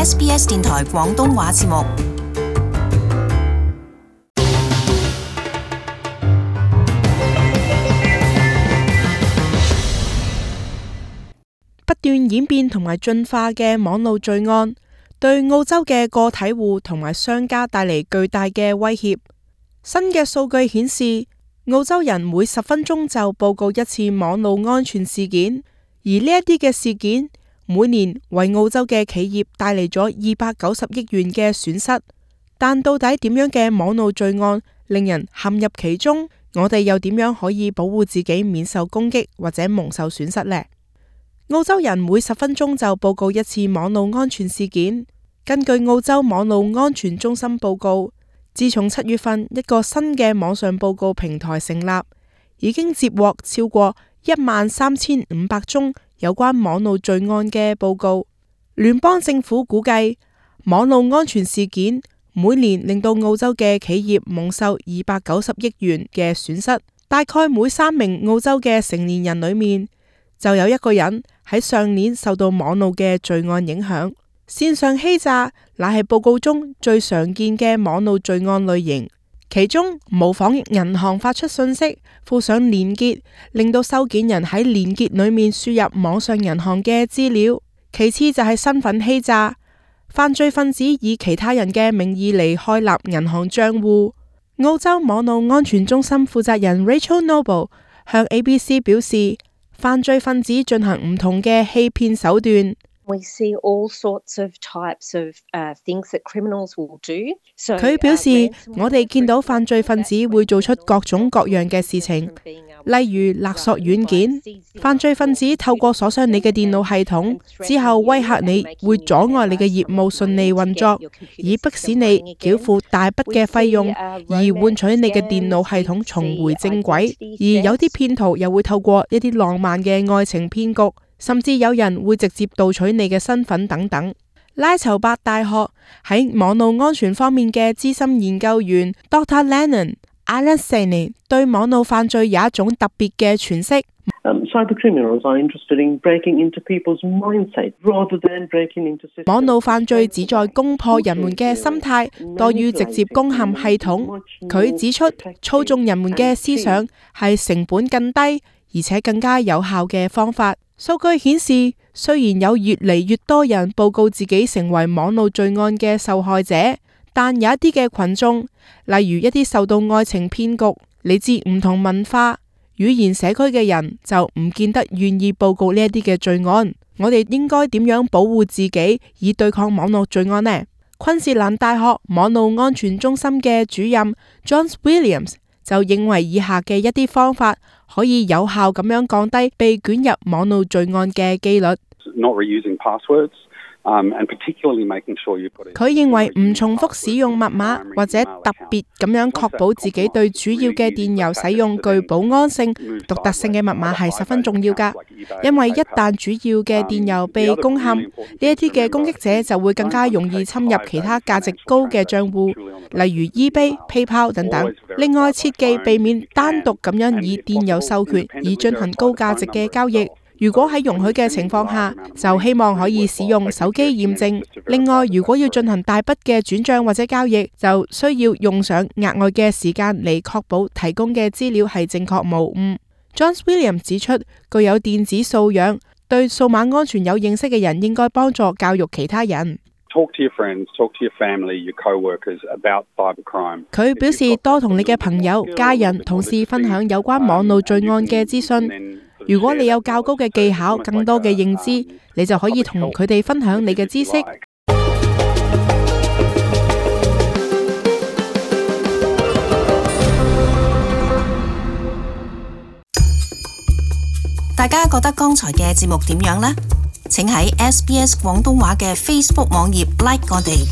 SBS 電台廣東話節目。不斷演變同埋進化嘅網絡罪案，對澳洲嘅個體戶同埋商家帶嚟巨大嘅威脅。新嘅數據顯示，澳洲人每10分鐘就報告一次網絡安全事件，而呢一啲嘅事件每年為澳洲嘅企業帶嚟咗290億元嘅損失。但到底點樣嘅網絡罪案令人陷入其中？我哋又點樣可以保護自己免受攻擊或者蒙受損失呢？澳洲人每10分鐘就報告一次網絡安全事件。根據澳洲網絡安全中心報告，自從7月份一個新嘅網上報告平台成立，已經接獲超過13500宗有關網絡罪案嘅報告。聯邦政府估計，網絡安全事件每年令到澳洲嘅企業蒙受290億元嘅損失。大概每3名澳洲嘅成年人裏面，就有一個人喺上年受到網絡嘅罪案影響。線上欺詐乃係報告中最常見嘅網絡罪案類型，其中模仿銀行發出信息，附上連結，令到收件人喺連結裏面輸入網上銀行嘅資料。其次就係身份欺詐，犯罪分子以其他人嘅名義嚟開立銀行賬戶。澳洲網絡安全中心負責人 Rachel Noble 向 ABC 表示，犯罪分子進行唔同嘅欺騙手段。佢表示，我哋見到犯罪分子會做出各種各樣嘅事情，例如勒索軟件。犯罪分子透過鎖上你嘅電腦系統之後，威嚇你會阻礙你嘅業務順利運作，以迫使你繳付大筆嘅費用，而換取你嘅電腦系統重回正軌。而有啲騙徒又會透過一啲浪漫嘅愛情騙局，甚至有人會直接盜取你嘅身份等等。拉籌伯大學喺網絡安全方面嘅資深研究員 Dr. Lennon Alassane 對網絡犯罪有一種特別嘅詮釋。網絡犯罪旨在攻破人們嘅心態，多於直接攻陷系統。佢指出，操縱人們嘅思想係成本更低，而且更加有效嘅方法。數據顯示，雖然有越嚟越多人報告自己成為網絡罪案嘅受害者，但有一啲嘅群眾，例如一啲受到愛情騙局、嚟自唔同文化、語言社區嘅人，就唔見得願意報告呢一啲嘅罪案。我哋應該點樣保護自己以對抗網絡罪案呢？昆士蘭大學網絡安全中心嘅主任 John Williams 就認為以下嘅一啲方法可以有效咁樣降低被捲入網絡罪案嘅機率。佢認為唔重複使用密碼，或者特別咁樣確保自己對主要嘅電郵使用具保安性、獨特性嘅密碼係十分重要㗎。因為一旦主要嘅電郵被攻陷，呢一啲嘅攻擊者就會更加容易侵入其他價值高嘅賬戶，例如 eBay、PayPal 等等。另外，切記避免單獨咁樣以電郵授權以進行高價值嘅交易。如果喺容許嘅情況下，就希望可以使用手機驗證。另外，如果要進行大筆嘅轉賬或者交易，就需要用上額外嘅時間嚟確保提供嘅資料係正確無誤。John Williams 指出，具有電子素養、對數碼安全有認識嘅人應該幫助教育其他人。佢表示，多同你嘅朋友、家人、同事分享有關網絡罪案嘅資訊。如果你有較高嘅技巧、更多嘅認知，你就可以同佢哋分享你嘅知識。大家覺得剛才嘅節目點樣呢？請喺SBS 廣東話嘅 Facebook 網頁 like 我哋。